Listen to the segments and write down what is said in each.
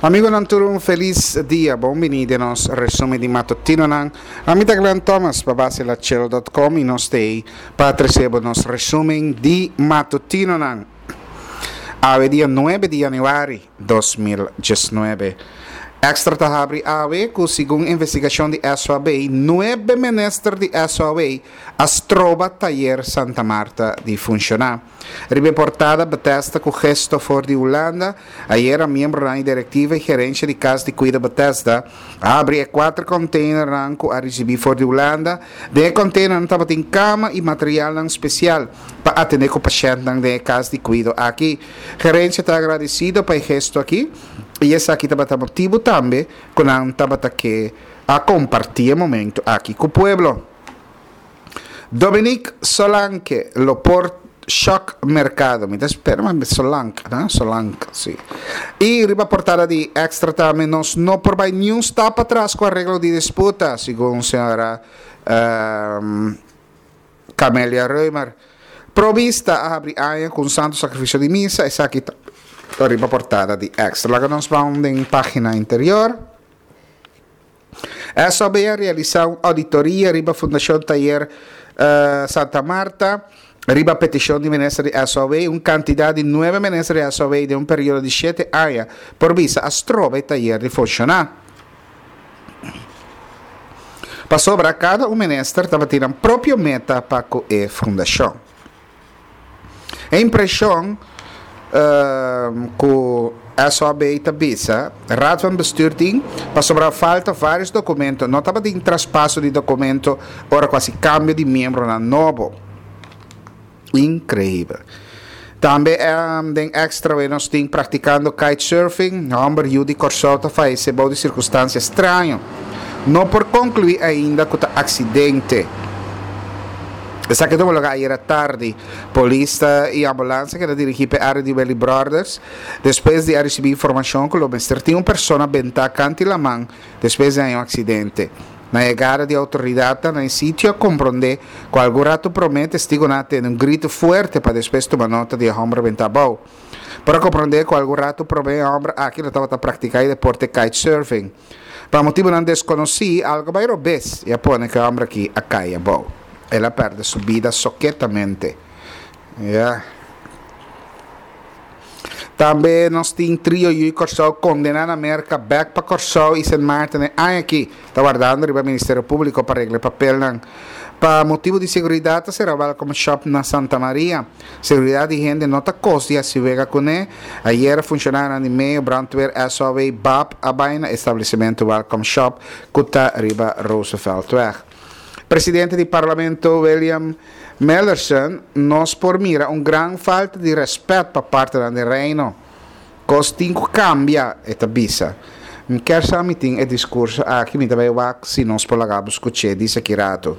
Amigonan tur un felis dia, bon bini den nos resumen di matutinonan. Ami ta Glenn Thomas pa base la chelo dot com y nos t'ey pa trece bo nos resumen di matutinonan. Awe dia nuebe di januari 2019. Extra ta habri awe cu segun investigacion di SOAB, nuebe minister di SOAW a stroba tayer Santa Marta di funciona. Riba e portada Bethesda ku gesto for di Hulanda, ayera miembronan di direktiva i gerensia di Kas di Kuido Bethesda a habri e kuater konteinernan ku a risibí for di Hulanda. Den e konteinernan tabatin kama i materialnan spesial pa atendé ku pashèntnan den e kas di kuido aki. Gerensia ta agradesido pa e gesto aki i esaki tabata motibu tambe ku nan tabata ke a kompartí e momentu aki ku pueblo. Dominique Solanke lo por shock mercado. Mi ta spera ma Solanke, no? Solanke, si. Y riba portada di Extra tambe nos no por bay ni un stap atras cu arreglo di disputa, segun señora um, Camelia Römer. Provista a habri aña cu un santo sacrificio di misa, esaki ta riba portada di Extra. Laga nos ban den pagina interior. SOB a realisá un auditoria riba Fundashon Tayer Santa Marta riba petishon di minister di SOB. Un kantidat di nuebe minister di SOB den un periodo di shete aña por bisa a stroba e tayer di funshoná. Pasobra kada un minister tabatin nan propio meta pa ku e fundashon. E impreshon ku SOB ta bisa, Raad van Bestuur tin, pasobra a falta vários dokumento, no tabatin traspaso di dokumento ora ku hasi kambio di miembronan nobo. Inkreibel. Tambe den Extra we nos tin praktikando kitesurfing, hòmber yu di Kòrsou ta fayesé bou di sirkunstansia straño. No por konkluí ainda ku ta aksidente. Esaki tuma lugar ayera tardi. Polis ta y ambulance a keda dirigi p'e area di Welly Brothers despues di a ricibi informacion cu lo mester tin un persona benta canti laman despues di haña un accidente. Na yegada di autoridadnan na e sitio a compronde cu algun rato prome testigonan a tende un grito fuerte pa despues tuma nota di e homber benta abou. Por a compronde cu algun rato prome e homber aki lo tabata practica e deporte kitesurfing. Pa motibunan deskonosí, algu bai robes i a pone ku e hòmber akí a kai abou. El a pèrdè su bida soketamente. Ya. Tambe nos tin trio yu Kòrsou kondená na Merka bèk pa Kòrsou i Sint Maarten e aña akí. Ta wardando riba Ministerio Públiko pa regla e papelnan. Pa motibu di seguridat ta sera Welcome Shop na Santa Maria. Seguridat di hende no ta kos di hasi wega kuné. Ayera funshonarionan di meo, brandweer, SOAW, bap a bai na establesimentu Welcome Shop ku ta riba Rooseveltweg. Presidente di Parlamento William Mellerson, Nos por mira un gran falta di rèspèt pa partenan den Reino. Kos tin ku kambia, e ta bisa. Mi kier sa mi tin e diskurso aki, mi ta bai wak si nos por laga bo skuch'é, dice ki ratu.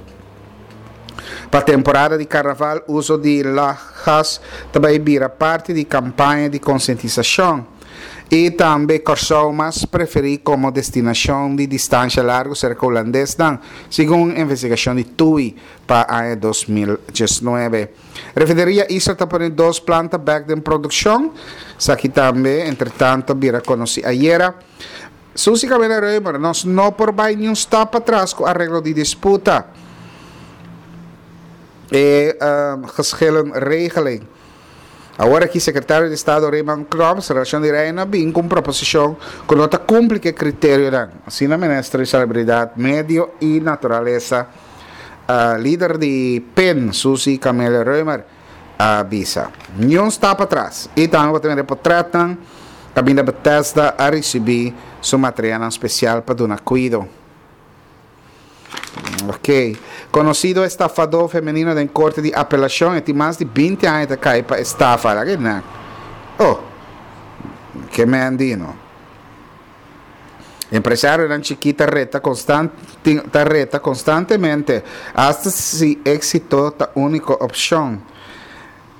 Pa temporada di karnaval uso di lachgas ta bai bira parti di kampaña di konsientisashon. I tambe Kòrsou mas preferí komo destinashon di distansha largu serka hulandesnan, segun un investigashon di TUI pa aña 2019. Refineria Isla ta pone dos planta bek den produkshon. Esaki tambe entretanto a bira konosí ayera. Susi Camila Römer, Nos no por bai niun stap patras ku areglo di disputa. E geschillenregeling. Awor aki Sekretario di Estado Raymond Knops, Relashon di Reino, a bin ku un proposishon ku no ta kumpli ku e kriterionan. Asina Minister di Salubridat, Medio i Naturalesa, Lider di pen, Suzy Camelia Römer, a bisa. Niun stap atras. I tambe bo ta mira e potretnan kaminda Bethesda a risibí su materialnan spesial pa duna kuido. Ok. Konosido estafadó femenino den korte di apelashon, e tin mas di binti aña ta kai pa estafa. Laga e nan. Oh, ke men di no. Empresarionan chikí ta reta konstan ta reta konstantemente, asta si éksito ta úniko opshon.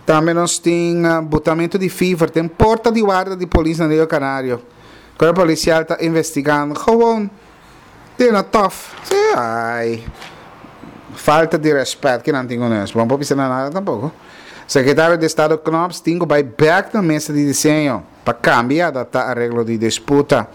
Tambe nos tin butamentu di fever den porta di warda di polis na Rio Canario. Kuerpo polisial ta investigando. Gewoon tin na tòf. Sí, ai. Falta di rèspèt ki nan tin ku nos. Bo no por bisa nan nada tampoko. Sekretario di Estado Knops tin ku bai bèk na mesa di diseño pa kambia i adaptá areglo di disputa.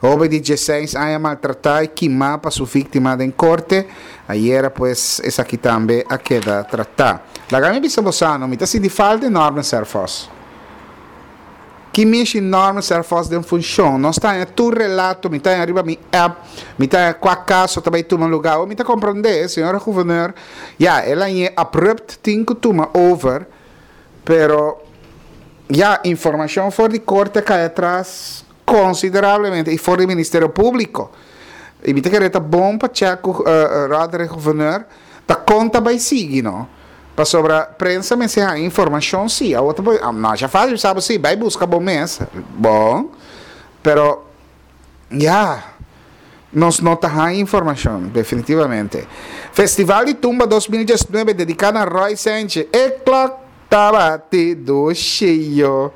Hoben di dieseis aña maltratá i kimá pa su víktima den korte. Ayera pues esaki tambe a keda tratá. Laga mi bisa bosano, mi ta sinti falta enorme Serphos. Ki mishi Norman Serphos den funshon? Nos ta haña tur relato, mi ta haña riba mi app, mi ta haña kua kaso ta bai tuma lugá. Awor mi ta komprondé, señora guvernor, ya, el hañ'é abrupt tin ku tuma over, pero ya, informashon for di korte a kai atras konsiderablemente i for di Ministerio Públiko. I mi ta kere ta bon pa chèk ku Roderick Gouverneur ta kon ta bai sigui no. Pasobra prensa mester haña informashon si. Awor ta por masha fásil bisa bo si, bai buska bo mes. Bon, pero ya, nos no ta haña informashon definitivamente. Festival di Tumba 2019 dediká na Roy Senchi. E klòk ta bati dushi yo.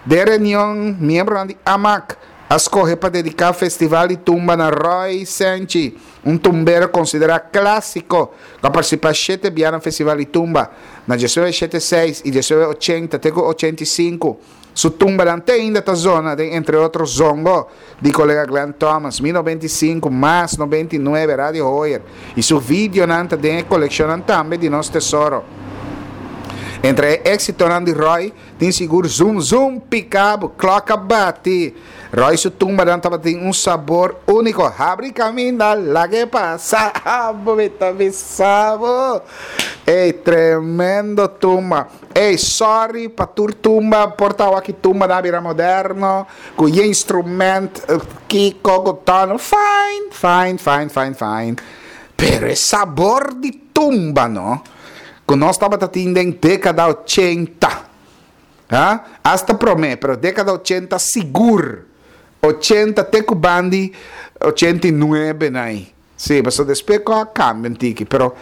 Den reunion miembronan di amak a skohe pa dediká Festival di Tumba na Roy Senchi. Un tumbero konsiderá klásiko ku a partisipá shete bia na Festival di Tumba, na diesnuebe shete seis i diesnuebe ochenta te ku ochenta i sinku. Su tumbanan te ainda ta zona den entre otro Zongo di kolega Glenn Thomas, Mi 95, Mas 99, Radio Hoyer i su videonan ta den e kolekshonnan tambe di Nos Tesoro. Entre e éksitonan di Roy Tin sigur zum zum pica bo klok a bati. Roy su tumbanan tabatin un sabor unico. Habri caminda lag'e pasa abo mi ta bisa bo. Ey tremendo tumba. Ey sorry pa tur tumba por ta awaki tumbanan a bira moderno cu ye instrument kico cu tono fine fine fine fine fine pero e sabor di tumba no. Ku nos tabata tin den dékada ochenta. Ha? Asta promé, pero dékada ochenta sigur. Ochenta te ku bandi ochenta i nuebe nai. Sí, pasobra despues ku a kambia un tiki, pero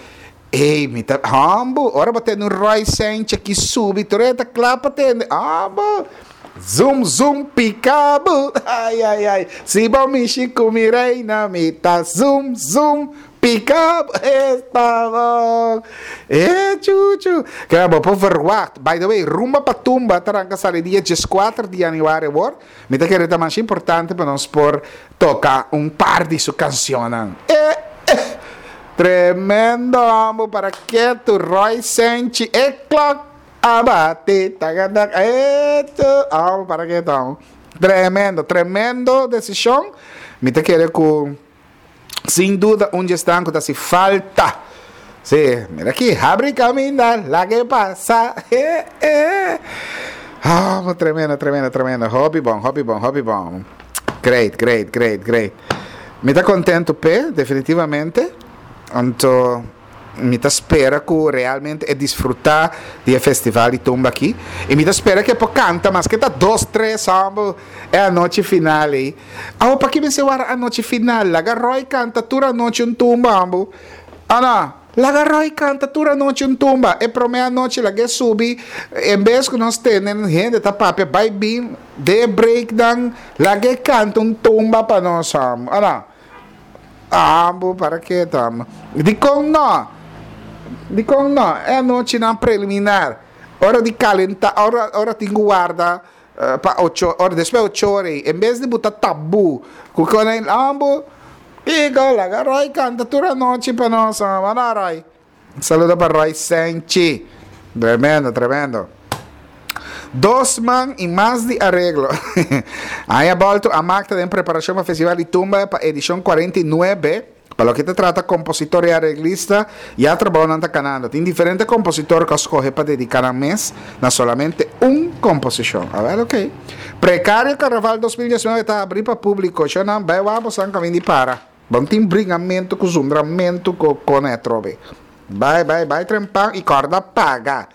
ey, mi ta hòmbu, ora bo tende un Roy Sanchez ki subi tur e ta kla pa tende, hòmbu! Zum zum pika bo, ay ay ay, si bo mishi ku mi reina mi ta zum zum Pick up esta bon. E chuchu. Keda bo por verwacht. By the way, Rumba pa Tumba ta ranka sali dia dieskuater di januari awor. Mi ta kere ta masha importante pa nos por toka un par di su kansionnan. E eh. Tremendo hombo para ketu Roy Senchi e klok a bati tagadak e tu hombo para ketu hombo. Tremendo, tremendo desishon. Mi ta kere ku Sin duda un dje esnan ku ta hasi falta. Sí, mira aki, habri kaminda, lag'e pasa. Eh, eh. Oh, tremendo, tremendo, tremendo. Hopi bon, hopi bon, hopi bon. Great, great, great, great. Mi ta contento p'e, definitivamente. Anto mi ta spera ku realmente e disfruta di e festival di tumba aki. I mi ta spera ku e por kanta maske ta dos, tres homber e anochi final ei. Awo paki mester wara anochi final? Laga Roy kanta tur anochi un tumba ambo. Ana, laga Roy kanta tur anochi un tumba. E prome anochi lag'e subi, en bes ku nos tene hende ta papia bai bin den e breaknan, lag'e kanta un tumba pa nos ambo. Ana, ambo para ke ta ambo? Dikon no? Dikon no? E anochinan preliminar, ora di kalenta, ora ora tin ku warda. Pa ocho ora, despues ocho ora ei, en bes di bo ta tabú ku kona ei, ambo, Kiko, laga Roy kanta tur anochi pa nos, wada Roy. Un saludo pa Roy Senchi. Tremendo, tremendo. Dos man i mas di areglo. Aña bolto, Amak ta den preparashon pa Festival di Tumba pa edishon 49. Pa loke ta trata kompositor i areglista, ya trabounan ta kanando. Tin diferente kompositor ku a skohe pa dediká nan mes na solamente un komposishon. Awèl okey. Prekario Karnaval 2019 ta habrí pa públiko. Shownan bai wak bosan kaminda di para. Bon tin bringamentu ku zundramentu ku kone atrobe. Bai bai bai trempan i kòrda paga.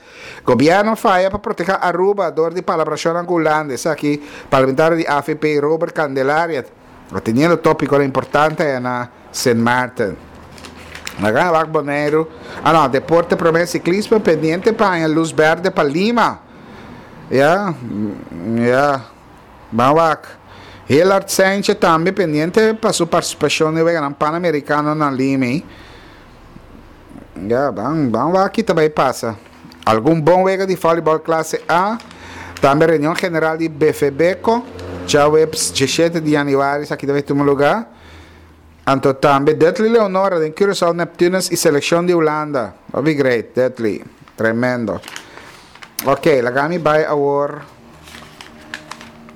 Gobièrnu a faya pa protehá Aruba dor di palabrashonnan ku Hulanda. Esaki parlamentario di avp Robert Candelaria. Teniendo tópikonan importante aya na Sint Maarten. Laga wak Boneiru. Ah no, deporte promé siklismo pendiente pa haña lus bèrdè pa Lima. Ya, ya. Ban wak. Hillard Sanchez tambe pendiente pa su partisipashon den Weganan Panamerikano na Lima. Ya, ban, ban wak ki ta bai pasa. Algun bon wega di volleyball klase A, tambe reunion general di BVBco, djaweps diesshete di yanüari esaki ta bai tuma lugá. Anto tambe Dudley Leonora den Curaçao Neptunus y seleccion di Hulanda. Hopi great, Dudley. Tremendo. Ok, laga mi bai awor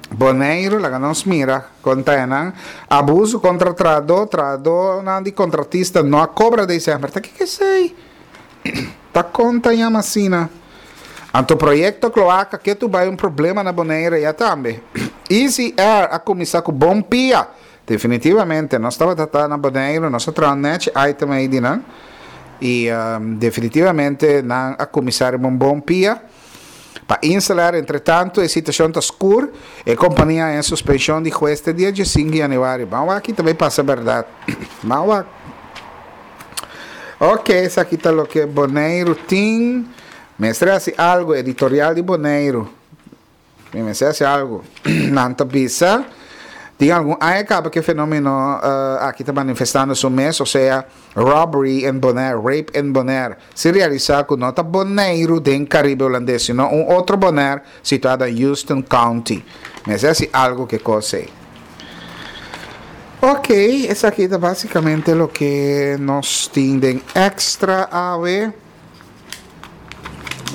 Boneiru, laga nos mira kon ta enan. Abuso kontra trahadó, trahadónan di kontratista no a kobra december. Ta kiko esei? Ta kon ta yama asina? Anto proyecto Cloaca ke tu bai un problema na Bonaire ya tambe. Easy Air a cuminsa cu bon pia. Definitivamente nos tabata ta na Bonaire, nos a traha un nechi item ey di nan. Y definitivamente nan a cuminsa riba un bon pia. Pa Insel Air entretanto e situacion ta scur. E compania a haña suspension di hues te dia diesinco di januari. Ban wak aki ta bay pasa berdad. Ban wak. Ok, esaki ta loke Boneiru tin. Mester hasi algu, editorial di Boneiru. Mi mester hasi algu. Nan ta bisa, tin algun aña kaba ku e fenomeno aki ta manifestando su mes, osea robbery in Bonaire, rape in Bonaire. Sin realisá ku no ta Boneiru den Karibe Hulandes, sino un otro Bonaire situá den Houston County. Mester hasi algu ku e kos ei. Ok, esaki ta basicamente loke nos tin den extra awe.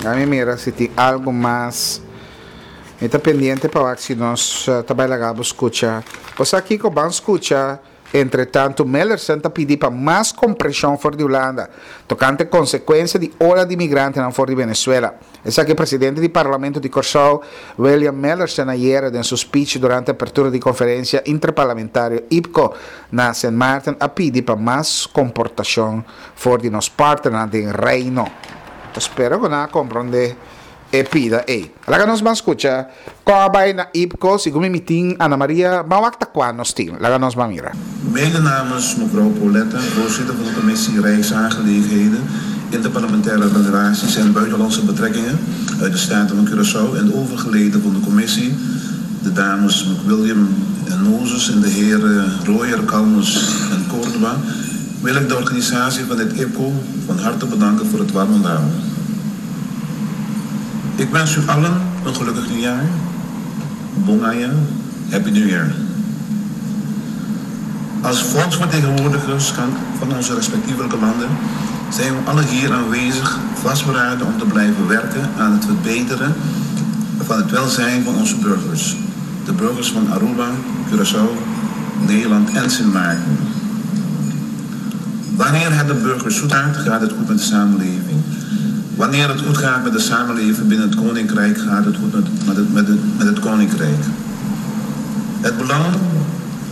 Dame mira si tin algo mas. Mi ta pendiente pa wak si nos ta bai laga bo scucha. Bo sa kico? Ban scucha. Entretanto Millerson ta pidi pa mas kompreshon for di Hulanda tokante konsekuensia di ola di migrantenan for di Venezuela. Esaki presidente di Parlamento di Kòrsou, William Millerson ayera den su speech durante apertura di konferensia interparlamentario IPCO na Sint Maarten a pidi pa mas komportashon for di nos partnernan den Reino. Ta spera ku nan a komprondé e pida ei. Laga nos ban skucha kon a bai na IPCO segun mi mitin Ana Maria ban wak ta kua nos tin. Laga nos ban mira. Mede namens mevrouw Pauletta, voorzitter van de commissie Rijksaangelegenheden, Interparlementaire Relaties en Buitenlandse Betrekkingen uit de Staten van Curaçao en de overige leden van de commissie, de dames McWilliam en Moses en de heren Royer, Calmes en Córdoba, wil ik de organisatie van dit IPCO van harte bedanken voor het warm onthaal. Ik wens u allen een gelukkig nieuwjaar. Bon aña, Happy New Year. Als volksvertegenwoordigers van onze respectievelijke landen zijn we allen hier aanwezig vastberaden om te blijven werken aan het verbeteren van het welzijn van onze burgers. De burgers van Aruba, Curaçao, Nederland en Sint Maarten. Wanneer het de burgers goed gaat, gaat het goed met de samenleving. Wanneer het goed gaat met de samenleving binnen het Koninkrijk, gaat het goed met, met, het, met, het, met het Koninkrijk. Het belang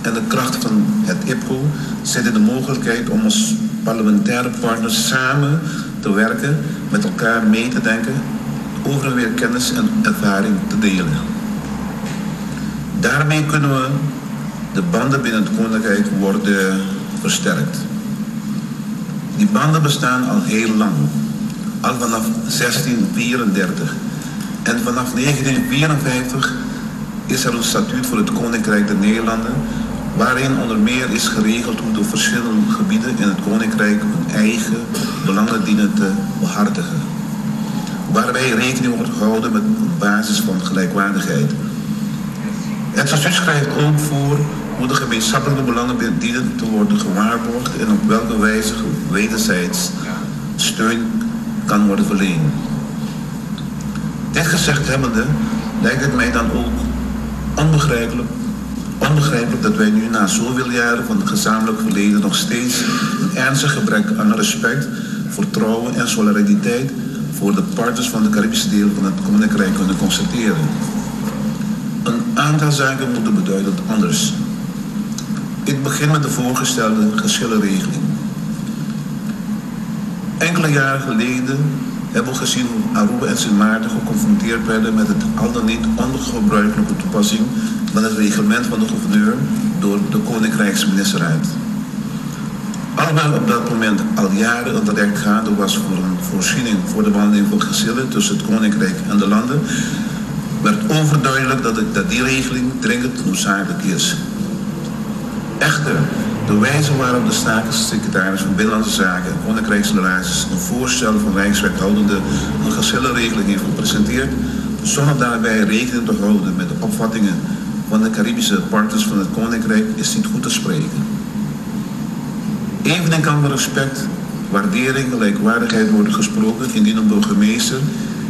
en de kracht van het IPCO zit in de mogelijkheid om als parlementaire partners samen te werken, met elkaar mee te denken, over en weer kennis en ervaring te delen. Daarmee kunnen we de banden binnen het Koninkrijk worden versterkt. Die banden bestaan al heel lang, al vanaf 1634. En vanaf 1954 is er een statuut voor het Koninkrijk der Nederlanden, waarin onder meer is geregeld hoe de verschillende gebieden in het Koninkrijk hun eigen belangen dienen te behartigen. Waarbij rekening wordt gehouden met een basis van gelijkwaardigheid. Het statuut schrijft ook voor hoe de gemeenschappelijke belangen dienen te worden gewaarborgd en op welke wijze wederzijds steun kan worden verleend. Dit gezegd hebbende lijkt het mij dan ook onbegrijpelijk, onbegrijpelijk dat wij nu na zoveel jaren van het gezamenlijk verleden nog steeds een ernstig gebrek aan respect, vertrouwen en solidariteit voor de partners van de Caribische deel van het Koninkrijk kunnen constateren. Een aantal zaken moeten beduidend anders. Ik begin met de voorgestelde geschillenregeling. Enkele jaren geleden hebben we gezien hoe Aruba en Sint Maarten geconfronteerd werden met het al dan niet ongebruikelijke toepassing van het reglement van de gouverneur door de Koninkrijksministerraad. Alhoewel op dat moment al jaren een traject gaande was voor een voorziening voor de behandeling van geschillen tussen het Koninkrijk en de landen, werd overduidelijk dat, het, dat die regeling dringend noodzakelijk is. Echter, de De wijze waarop de staatssecretaris van Binnenlandse Zaken en Koninkrijksrelaties een voorstel van Rijkswethoudende een geschillenregeling heeft gepresenteerd, zonder daarbij rekening te houden met de opvattingen van de Caribische partners van het Koninkrijk, is niet goed te spreken. Evenemin kan respect, waardering, gelijkwaardigheid worden gesproken indien een burgemeester,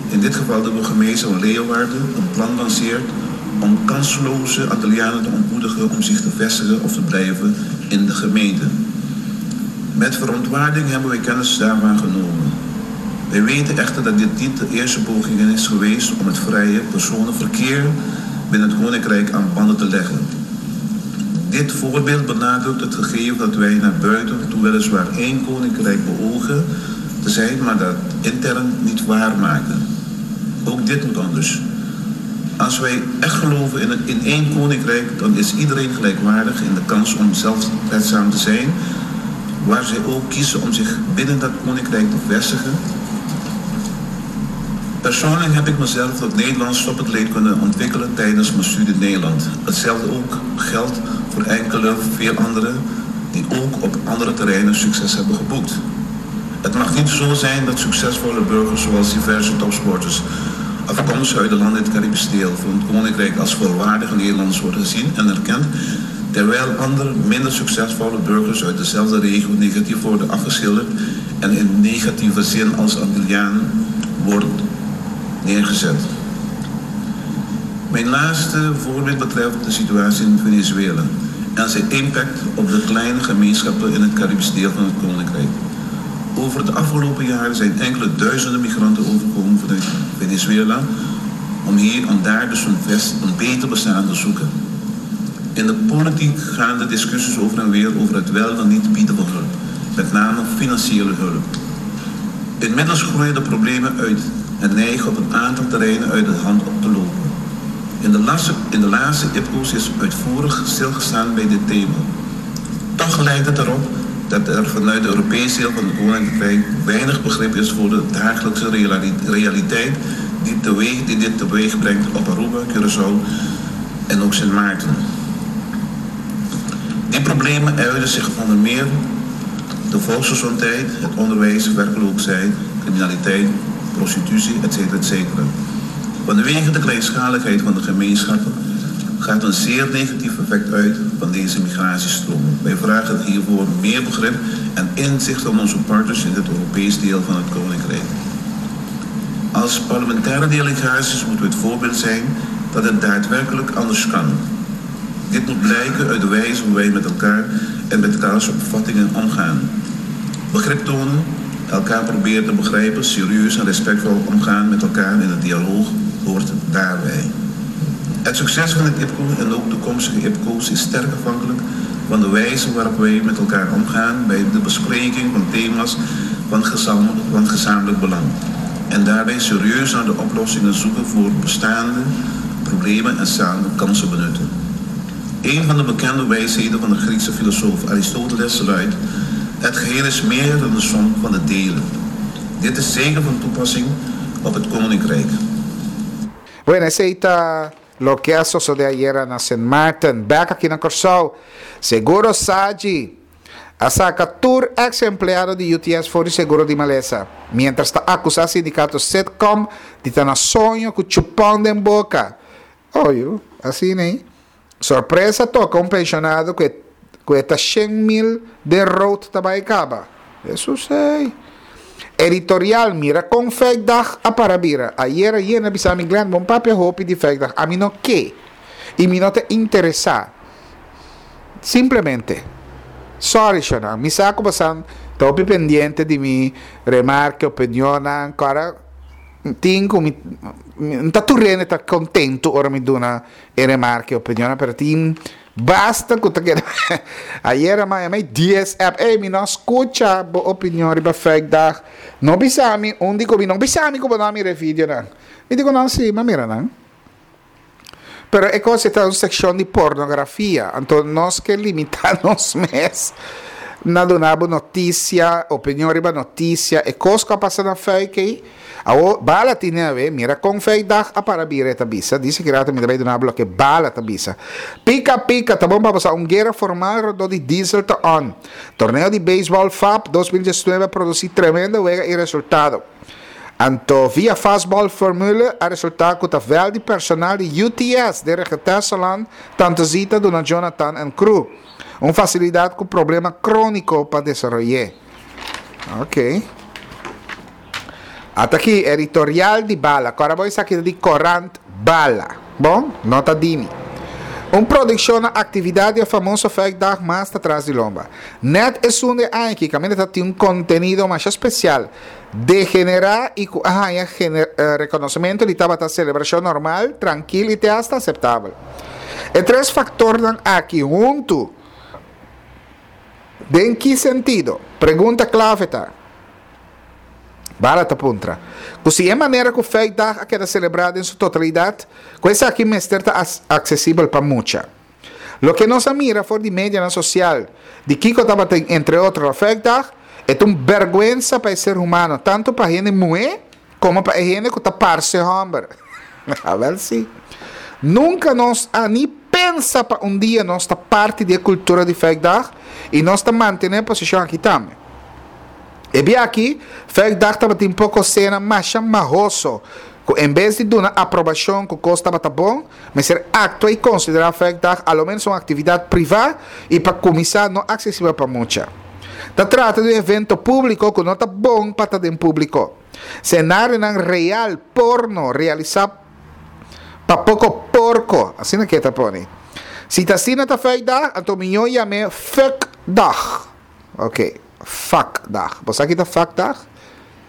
in dit geval de burgemeester van Leeuwarden, een plan lanceert om kansloze Antillianen te ontmoedigen om zich te vestigen of te blijven in de gemeente. Met verontwaardiging hebben wij kennis daarvan genomen. Wij weten echter dat dit niet de eerste poging is geweest om het vrije personenverkeer binnen het Koninkrijk aan banden te leggen. Dit voorbeeld benadrukt het gegeven dat wij naar buiten toe weliswaar één koninkrijk beogen te zijn, maar dat intern niet waarmaken. Ook dit moet anders. Als wij echt geloven in één koninkrijk, dan is iedereen gelijkwaardig in de kans om zelfredzaam te zijn, waar zij ook kiezen om zich binnen dat koninkrijk te vestigen. Persoonlijk heb ik mezelf tot Nederlands topatleet kunnen ontwikkelen tijdens mijn studie in Nederland. Hetzelfde ook geldt voor enkele, veel anderen die ook op andere terreinen succes hebben geboekt. Het mag niet zo zijn dat succesvolle burgers zoals diverse topsporters afkomstig uit de landen in het Caribisch deel van het Koninkrijk als volwaardige Nederlanders worden gezien en erkend, terwijl andere minder succesvolle burgers uit dezelfde regio negatief worden afgeschilderd en in negatieve zin als Antilliaan worden neergezet. Mijn laatste voorbeeld betreft de situatie in Venezuela en zijn impact op de kleine gemeenschappen in het Caribisch deel van het Koninkrijk. Over de afgelopen jaren zijn enkele duizenden migranten overgekomen vanuit Venezuela om hier en daar dus een beter bestaan te zoeken. In de politiek gaan de discussies over en weer over het wel dan niet bieden van hulp, met name financiële hulp. Inmiddels groeien de problemen uit en neigen op een aantal terreinen uit de hand op te lopen. In de laatste IPCO's is uitvoerig stilgestaan bij dit thema. Toch lijkt het erop dat er vanuit de Europese deel van het Koninkrijk weinig begrip is voor de dagelijkse realiteit die dit teweeg brengt op Aruba, Curaçao en ook Sint Maarten. Die problemen uiten zich onder meer de volksgezondheid, het onderwijs, werkloosheid, criminaliteit, prostitutie, etc. etc. Vanwege de kleinschaligheid van de gemeenschappen gaat een zeer negatief effect uit van deze migratiestromen. Wij vragen hiervoor meer begrip en inzicht van onze partners in het Europees deel van het Koninkrijk. Als parlementaire delegaties moeten we het voorbeeld zijn dat het daadwerkelijk anders kan. Dit moet blijken uit de wijze hoe wij met elkaar en met elkaars opvattingen omgaan. Begrip tonen, elkaar proberen te begrijpen, serieus en respectvol omgaan met elkaar in een dialoog hoort daarbij. Het succes van het IPCO en ook toekomstige IPCO's is sterk afhankelijk van de wijze waarop wij met elkaar omgaan bij de bespreking van thema's van gezamenlijk belang. En daarbij serieus naar de oplossingen zoeken voor bestaande problemen en samen kansen benutten. Een van de bekende wijsheden van de Griekse filosoof Aristoteles luidt: Het geheel is meer dan de som van de delen. Dit is zeker van toepassing op het Koninkrijk. Bueno, esei ta loke a sosode ayera na Sint Maarten. Bek aki na Kòrsou, Seguro Saji a saka tur eks empleado di UTS for di seguro di malesa, miéntras ta akusá sindikato Sitcom di ta na soño ku chupon den boka. Oyu, asina ei. Sorpresa toka un penshonado ku e ku e ta 100,000 den rood ta bai kaba. Hesus ei. Editorial, Mira kon Fuikdag a para bira. Ayera yena bisa mi Glenn bon papia hopi di Fuikdag. Ami no ke. I mi no ta interesá. Simplemente. Sorry shonnan. Mi sa ku bosan ta hopi pendiente di mi remarke, opinionnan. Kòrda tin ku mi mi ta tur hende ta kontentu ora mi duna e remarke, opinionnan, pero tin basta ku ta keda ayera maya mei dies app, ey mi no a skucha bo opinion riba Fuikdag, no bisa mi un di ku mi no bisa mi ku bo no a mira e videonan, mi di ku no si, mi a mira nan. Pero e kos e ta un sekshon di pornografia, anto nos ke limitá nos mes. na duna bo notisia, opinion riba notisia, e kos ku a pasa na Fuik ei. Awor, Bala tin awe, mira kon Fuikdag a para bira, e ta bisa. Dice ki rato mi ta bai duna bo loke Bala ta bisa. Pika pika, ta bon pa bo sa un guera formal rondó di diesel ta on. Torneo di beisbòl FAP 2019 a produsí tremendo wega i resultado. Anto via Fastball Formule a resultá ku ta vèlt di personal di UTS den Regetesseland Tante Zita duna Jonathan en crew. Un fasilidat ku problema króniko pa desaroy'é. Ok. Ata aki editorial di Bala. Kòrda bo esaki ta di Korant Bala. Bon, no ta di mi. Un produkshon na aktividat di e famoso Fuikdag mas ta tras di lomba. Nèt esun di e aña aki kaminda ta tin un kontenido masha spesial. Degenerá i ku a haña rekonosementu di tabata selebrashon normal, trankil i te asta aseptabel. E tres faktornan aki huntu, den ki sentido? Pregunta klave ta, Bala ta puntra, ku si e manera ku Fuikdag a keda selebrá den su totalidat, ku esaki mester ta aksesibel pa mucha? Loke nos a mira for di medianan sosial di kiko tabatin entre otro na Fuikdag, e ta un bèrgwensa pa e ser humano, tantu pa hende muhé komo pa e hende ku ta parse hòmber. Awèl sí. Nunka nos a ni pensa pa un dia nos ta parti di e kultura di Fuikdag i nos ta mantené e posishon aki tambe. E bia aki, Fuikdag tabatin poko sena masha mahoso ku en bes di duna aprobashon ku kos tabata bon, Mester aktua i konsiderá Fuikdag a lo ménos un aktividat privá i pa kuminsá no aksesibel pa mucha. Ta trata di un evento públiko ku no ta bon pa ta den públiko. Senarionan real porno realisá pa poko porko, asina ke ta pone. Si ta asina ta Fuikdag, anto mihó yam'é Fuckdag. Ok, fuckdag. Bo sa ki ta fuckdag?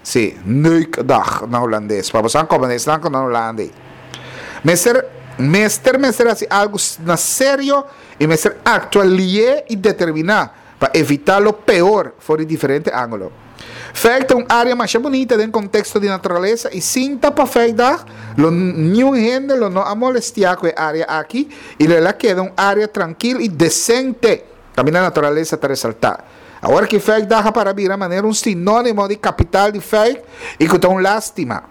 Sí, neukdag na hulandes. Pa bo sa komo esnan ku na Hulanda ei. Mester, mester, mester hasi algu na serio i mester aktua lié i determiná pa evitá lo peor for di diferente ángulo. Fuik ta un área masha bunita den konteksto di naturalesa i sin ta pa fuikdag lo niun hende lo no a molestiá ku e área aki i lo el a keda un área trankil i desente. Kaminda naturalesa ta resaltá. Awor ki Fuikdag a para bira manera un sinónimo di kapital di Fuik i ku ta un lástima.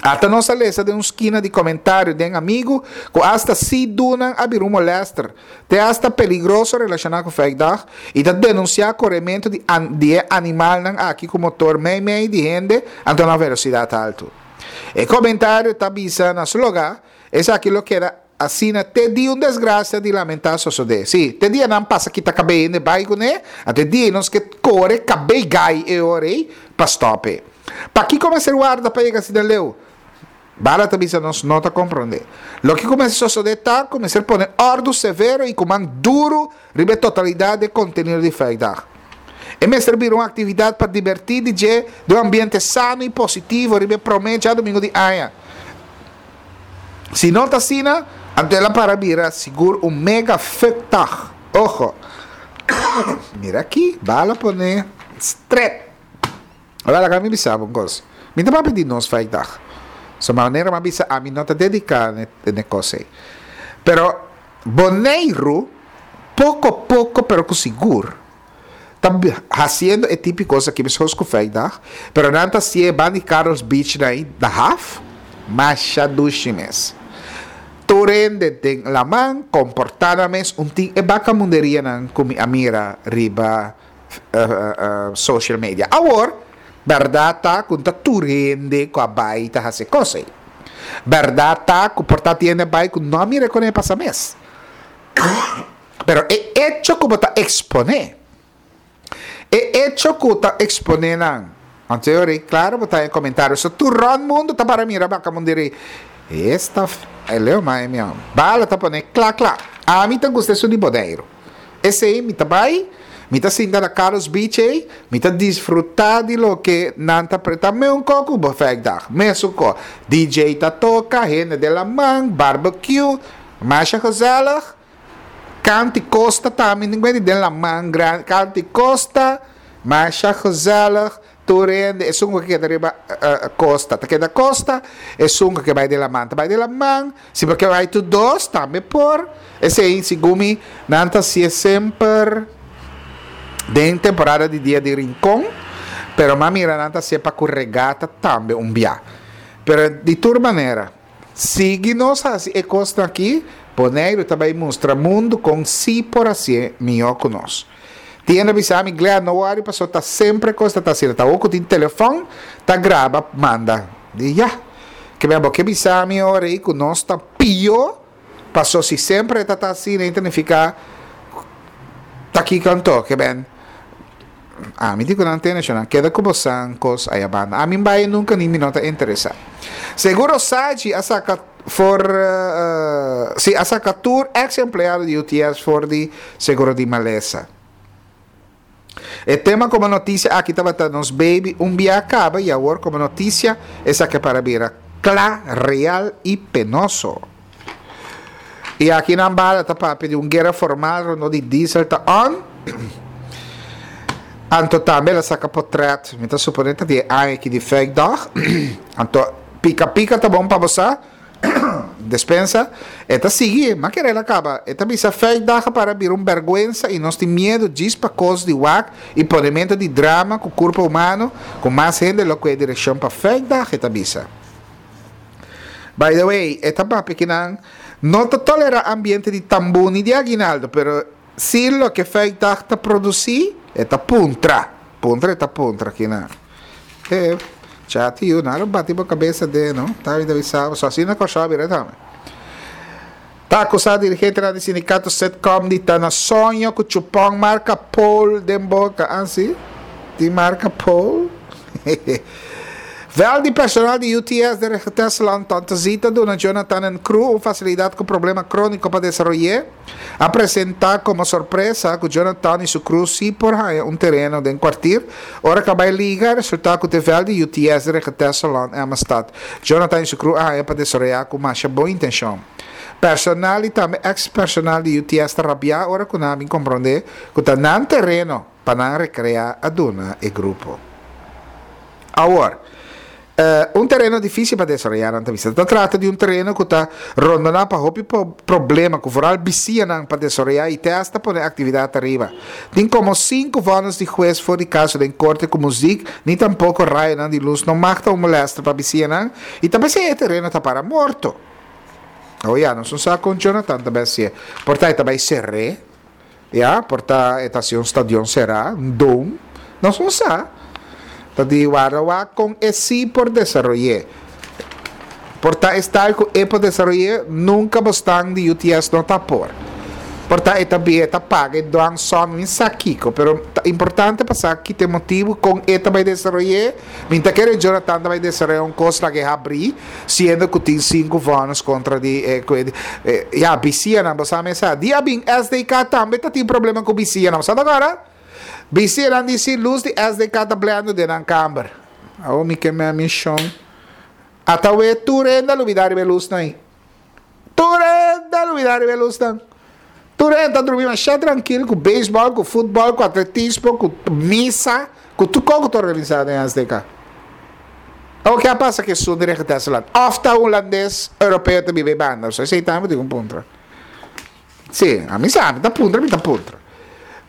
Ata nos a lesa den un skina di komentario den amigu ku asta sidunan a bira un molèster, te asta peligroso relashoná ku Fuikdag i ta denunsiá korementu di di e animalnan aki ku motor meimei di hende anto na velosidat haltu. E komentario ta bisa na su logá, esaki lo keda Asina te dia un desgracia di lamentá sosodé. Sí, te dia nan pasa kita kabei hende bai kuné, anto e dia ei nos ke kore kabei gai e ora ei pa stòp e. Pakiko mester warda pa yega asina leu? Bala ta bisa nos no ta komprondé. Loke ku mester sosodé ta ku mester pone òrdu severo i ku man duru riba e totalidat di e kontenido di Fuikdag. E mester bira un aktividat pa dibertí di dje den un ambiente sano i positivo riba e promé djadumingu di aña. Si no ta asina, anto el a para bira sigur un mega fuckdag. Ojo. Mira aki, bala pone stret. Ora laga mi bisa bo un kos. Mi ta papia di nos fuckdag. So manera mi a bisa ami no ta dedica n'e kos ei. Pero Boneiru poko poko pero ku sigur ta hasiendo e tipo kos aki meskos ku Vrijdag, pero nan ta hasié banda di Carlos Beach na ei na haf, masha dushi mes. Tur hende den laman komportá nan mes un tin e bakamunderianan ku mi a mira riba social media. Awor, bèrdat ta ku no ta tur hende ku a bai ta hasi e kos ei. Bèrdat ta ku por ta tin hende a bai ku no a mira kon e pasa mes. Pero e echo ku bo ta eksponé, e echo ku ta eksponé nan, anto e ora ei klaro bo ta haña komentario. So tur rònt mundu ta para mira baka mundu eri, esta e leo mai mi amo. Bala ta pone kla kla. Ami ta gusta esun di Boneiru. Esei mi ta bai, mi ta sinta na Carlos Beach ei, mi ta disfrutá di loke nan ta pre, ta meun ko ku Befijdag, mesun ko. DJ ta toka, hende den laman, barbecue, masha gezellig. Kanti Costa tambe tin cuenta den laman grandi Kanti Costa masha gezellig tur hende esun cu keda riba costa ta keda costa esun cu ke bay den laman ta bay den laman si bo ke bay tur dos tambe por esey segun mi nan ta hacié semper. Den temporada di Dia di Rincon, pero m'a mira nan ta hacié pa cu regata tambe un bia. Pero di tur manera, sigui nos haci e cosnan aki, Boneiru ta bay mustra mundu con si por hacié mihó cu nos. Tin hende a bisa mi, Glenn, no worry paso ta semper cos ta ta asina. Ta awor cu tin telefon ta graba manda. Di ya. Ke men bo ke bisa mi ora ei cu nos ta pió paso si semper e ta ta asina ei ta nifica ta kiko anto? Ke men ami di cu nan tene nan keda cu bo san cos aya banda. Ami bai nunca ni mi no ta interesa. Seguro Saji a saca. For si a saka tur ex empleado di UTS for di seguro di malesa. E tema komo notisia aki tabata nos baby un bia kaba y awor komo notisia esaki a para bira kla, real y penoso. Y aki nan bala ta papia di un guera formal rondó di diesel ta on. Anto tambe el a saka potret, mi ta supone ta di e aña aki di Fuikdag. Anto Pika pika ta bon pa bo sa. Despensa. E ta sigui, ma kere el a kaba. E ta bisa Fuikdag a para bira un bèrgwensa i nos tin miedu djis pa kos di wak i ponementu di drama ku kurpa humano ku mas hende lo kue direkshon pa Fuikdag, e ta bisa. By the way, e ta papia ki nan no ta tolerá ambiente di tambú ni di aguinaldo, pero si loke Fuikdag ta produsí, e ta puntra. Puntra e ta puntra ki nan. E chati yu nan lo bati bo kabesa den no. Ta mi ta bisa bo so asina Kòrsou a bira tambe. Ta akusá dirigentenan di sindikato Setcom di ta na soño ku chupòn marka Pol den boka. Ah si? Tin marka Pol? Vèl di personal di UTS den Regentesseland Tante Zita duna Jonathan en crew un fasilidat ku problema króniko pa desaroy'é. A presentá komo sorpresa ku Jonathan i su crew sí por haña un tereno den kwartier. Ora ku a bai liga, a resultá ku te vèlt di UTS den Regentesseland, Emmastad. Jonathan i su crew a haña pa desaroyá ku masha bon intenshon. Personal i tambe eks-personal di UTS ta rabiá ora ku nan a bin komprondé ku ta nan tereno pa nan rekreá a duna e grupo. Awor, un tereno difísil pa desaroyá, nan ta bisa. Ta trata di un tereno ku ta rondoná pa hopi problema ku foral bisianan pa desaroyá i te asta pone aktividat ariba. Tin komo sinku vònis di hues for di kaso den korte ku muzik ni tampoko rayonan di lus no mag ta un molèster pa bisianan i ta p'esei e tereno ta para morto. Awor ya, nos no sa kon Jonathan ta bai hasié. Por ta e ta bai ser'é. Ya, por ta e ta hasi un stadion será, un dome. Nos no sa. Ta di warda wak kon e sí por desaroy'é. Por ta e style ku e por desaroy'é, nunka bo stan di UTS no ta por. Por ta e ta bia, e ta paga e dwangsom, mi sa kiko, pero ta importante pa sa ki ta e motibu kon e ta bai desaroy'é. Mi ta kere Jonathan ta bai desaroyá un kos laga e habrí, siendo ku tin sinku vònes kontra di e ku e ya bisianan bo sa mesa. Di a bin SDK tambe ta tin problema ku bisianan. Bo sa ta kòrda? Bisianan di si lus di SDK ta blendo den nan kamber. Awor mi ke mea mi shon. Ata we tur hende a lubidá riba e lusnan ei. Tur hende a lubidá riba e lusnan. Tur hende ta drumi masha trankil ku beisbòl, ku futbòl, ku atletismo, ku misa, ku tur kos ku ta organisá den SDK. Awor ke a pasa ku esun di Regentesseland? Òf ta hulandes europeo ta biba e banda? So esei tambe tin ku puntra. Sí, ami sa, mi ta puntra, mi ta puntra.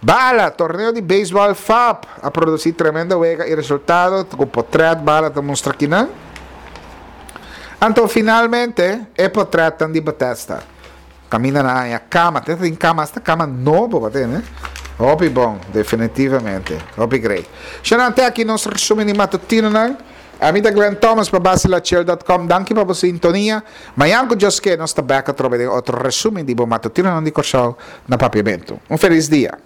Bala, torneo di beisbòl FAP a produsí tremendo wega i resultado ku potrèt Bala ta mustra kinan. Anto finalmente e potrètnan di Bethesda. Kaminda nan haña kama, te tin kama, hasta kama nobo bo tene. Hopi bon, definitivamente. Hopi great. Shana, te aki nos resumen di matutinonan. Ami ta Glenn Thomas pa Basilachel dot com. Danki pa bo sintonia. Mañan ku Dios ke nos ta bek atrobe den otro resumen di bo matutinonan di Kòrsou na Papiamentu. Un felis dia.